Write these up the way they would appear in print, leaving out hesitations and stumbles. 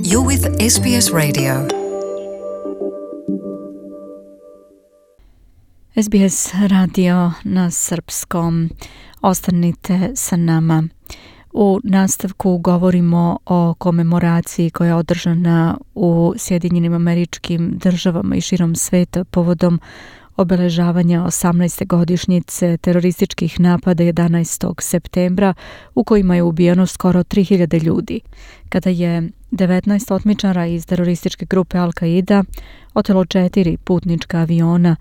You're with SBS Radio. SBS radio na srpskom. Ostanite sa nama. U nastavku govorimo o komemoraciji koja je održana u Sjedinjenim Američkim Državama i širom sveta povodom obeležavanja 18. godišnjice terorističkih napada 11. septembra u kojima je ubijeno skoro 3000 ljudi, kada je 19 otmičara iz terorističke grupe Al-Qaida otelo 4 putnička aviona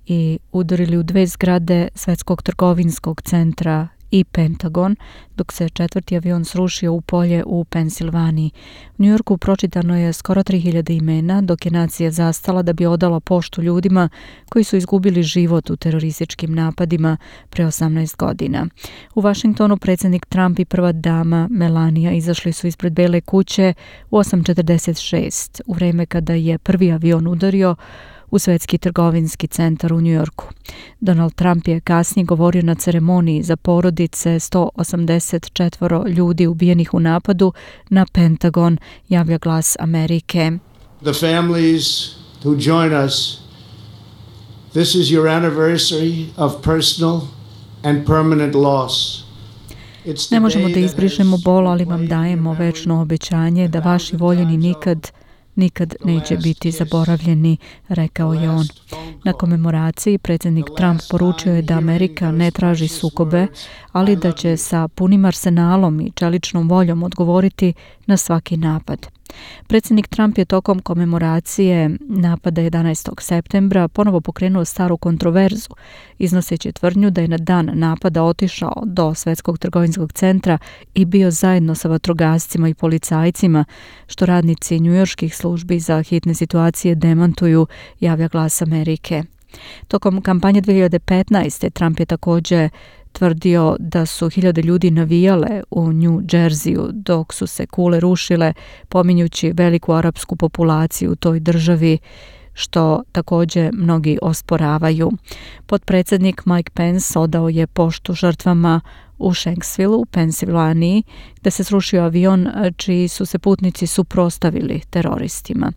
i udarili u 2 zgrade Svetskog trgovinskog centra i Pentagon, dok se 4. avion srušio u polje u Pensilvaniji. U Njujorku pročitano je skoro 3000 imena, dok je nacija zastala da bi odala poštu ljudima koji su izgubili život u terorističkim napadima pre 18 godina. U Vašingtonu predsjednik Trump i prva dama Melania izašli su ispred Bele kuće u 8:46, u vreme kada je prvi avion udario u Svetski trgovinski centar u Njujorku. Donald Trump je kasnije govorio na ceremoniji za porodice 184 ljudi ubijenih u napadu na Pentagon, javlja Glas Amerike. The families who join us, this is your anniversary of personal and permanent loss. Ne možemo da izbrišemo bol, ali vam dajemo večno obećanje da vaši voljeni nikad neće biti zaboravljeni, rekao je on. Na komemoraciji predsjednik Trump poručio je da Amerika ne traži sukobe, ali da će sa punim arsenalom i čeličnom voljom odgovoriti na svaki napad. Predsjednik Trump je tokom komemoracije napada 11. septembra ponovo pokrenuo staru kontroverzu, iznoseći tvrdnju da je na dan napada otišao do Svetskog trgovinskog centra i bio zajedno sa vatrogascima i policajcima, što radnici njujorških službi za hitne situacije demantuju, javlja Glas Amerike. Tokom kampanje 2015. Trump je također tvrdio da su 1000 ljudi navijale u New Jerseyu dok su se kule rušile, pominjući veliku arapsku populaciju u toj državi, što također mnogi osporavaju. Potpredsjednik Mike Pence odao je poštu žrtvama u Shanksville u Pensilvaniji, gdje se srušio avion čiji su se putnici suprotstavili teroristima.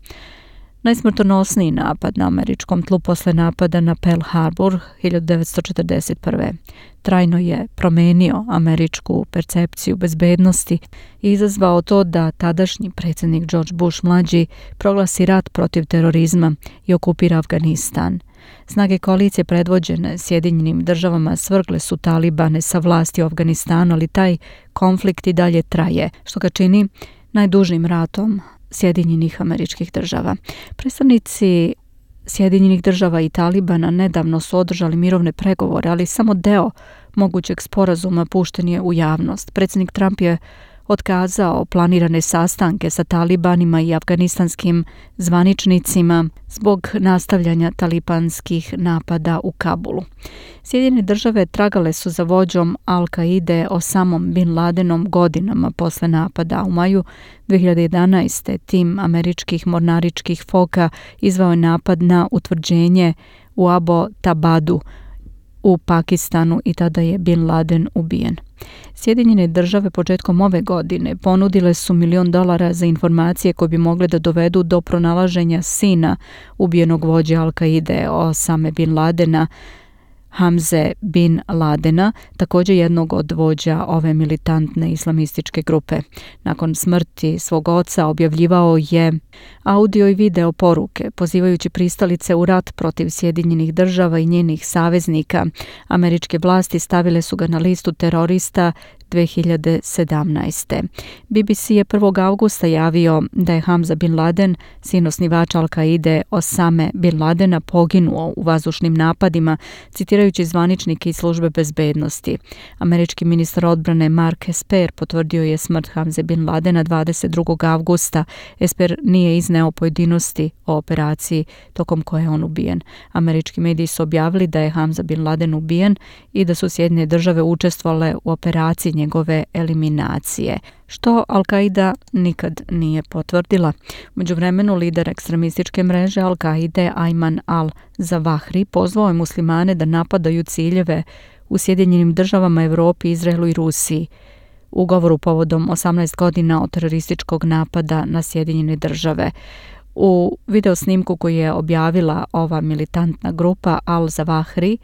Najsmrtonosniji napad na američkom tlu posle napada na Pearl Harbor 1941. Trajno je promenio američku percepciju bezbednosti i izazvao to da tadašnji predsjednik George Bush mlađi proglasi rat protiv terorizma i okupira Afganistan. Snage koalicije predvođene Sjedinjenim Državama svrgle su talibane sa vlasti u Afganistanu, ali taj konflikt i dalje traje, što ga čini najdužim ratom Sjedinjenih Američkih Država. Predstavnici Sjedinjenih Država i Talibana nedavno su održali mirovne pregovore, ali samo deo mogućeg sporazuma pušten je u javnost. Predsjednik Trump je otkazao planirane sastanke sa talibanima i afganistanskim zvaničnicima zbog nastavljanja talibanskih napada u Kabulu. Sjedinjene Države tragale su za vođom Al-Qaide Osamom Bin Ladenom godinama posle napada. U maju 2011. tim američkih mornaričkih foka izveo je napad na utvrđenje u Abbottabadu u Pakistanu i tada je Bin Laden ubijen. Sjedinjene Države početkom ove godine ponudile su $1 milion za informacije koje bi mogle da dovedu do pronalaženja sina ubijenog vođe Al-Qaide Osame Bin Ladena, Hamze Bin Ladena, također jednog od vođa ove militantne islamističke grupe. Nakon smrti svog oca objavljivao je audio i video poruke, pozivajući pristalice u rat protiv Sjedinjenih Država i njenih saveznika. Američke vlasti stavile su ga na listu terorista 2017. BBC je 1. avgusta javio da je Hamza Bin Laden, sin osnivača Al-Qaide Osame Bin Ladena, poginuo u vazdušnim napadima, citirajući zvaničnike iz službe bezbednosti. Američki ministar odbrane Mark Esper potvrdio je smrt Hamze Bin Ladena 22. avgusta. Esper nije izneo pojedinosti o operaciji tokom koje je on ubijen. Američki mediji su objavili da je Hamza Bin Laden ubijen i da su Sjedinjene Države učestvovale u operaciji njegove eliminacije, što Al-Qaida nikad nije potvrdila. U međuvremenu lider ekstremističke mreže Al-Qaide Ayman al-Zawahri pozvao je muslimane da napadaju ciljeve u Sjedinjenim Državama, Evropi, Izraelu i Rusiji. u govoru povodom 18 godina od terorističkog napada na Sjedinjene Države. U videosnimku koji je objavila ova militantna grupa Al-Zawahri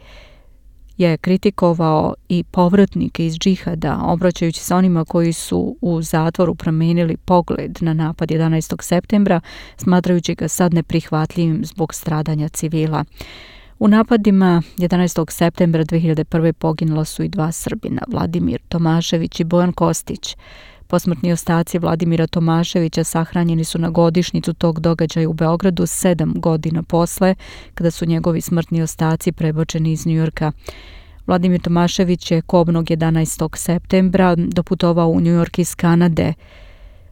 je kritikovao i povratnike iz džihada, obraćajući se onima koji su u zatvoru promijenili pogled na napad 11. septembra, smatrajući ga sad neprihvatljivim zbog stradanja civila. U napadima 11. septembra 2001. poginula su i 2 Srbina, Vladimir Tomašević i Bojan Kostić. Posmrtni ostaci Vladimira Tomaševića sahranjeni su na godišnjicu tog događaja u Beogradu 7 godina posle, kada su njegovi smrtni ostaci prebačeni iz Njujorka. Vladimir Tomašević je kobnog 11. septembra doputovao u Njujork iz Kanade.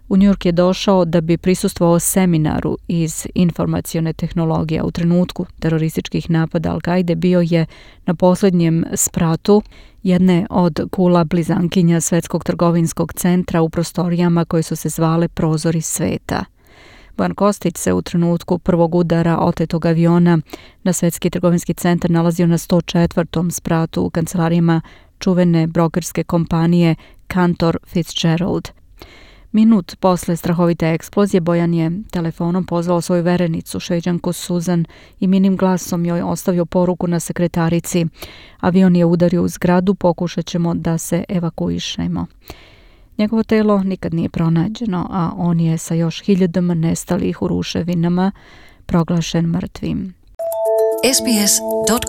U Njujork je došao da bi prisustvovao seminaru iz informacione tehnologije. U trenutku terorističkih napada Al-Kaide bio je na posljednjem spratu jedne od kula blizankinja Svetskog trgovinskog centra u prostorijama koje su se zvale Prozori sveta. Bojan Kostić se u trenutku prvog udara otetog aviona na Svetski trgovinski centar nalazio na 104. spratu u kancelarijama čuvene brokerske kompanije Cantor Fitzgerald. Minut posle strahovite eksplozije Bojan je telefonom pozvao svoju verenicu, Šveđanku Suzan, i minim glasom joj ostavio poruku na sekretarici. Avion je udario u zgradu, pokušat ćemo da se evakuišemo. Njegovo telo nikad nije pronađeno, a on je sa još 1000 nestalih u ruševinama proglašen mrtvim. sbs.com.au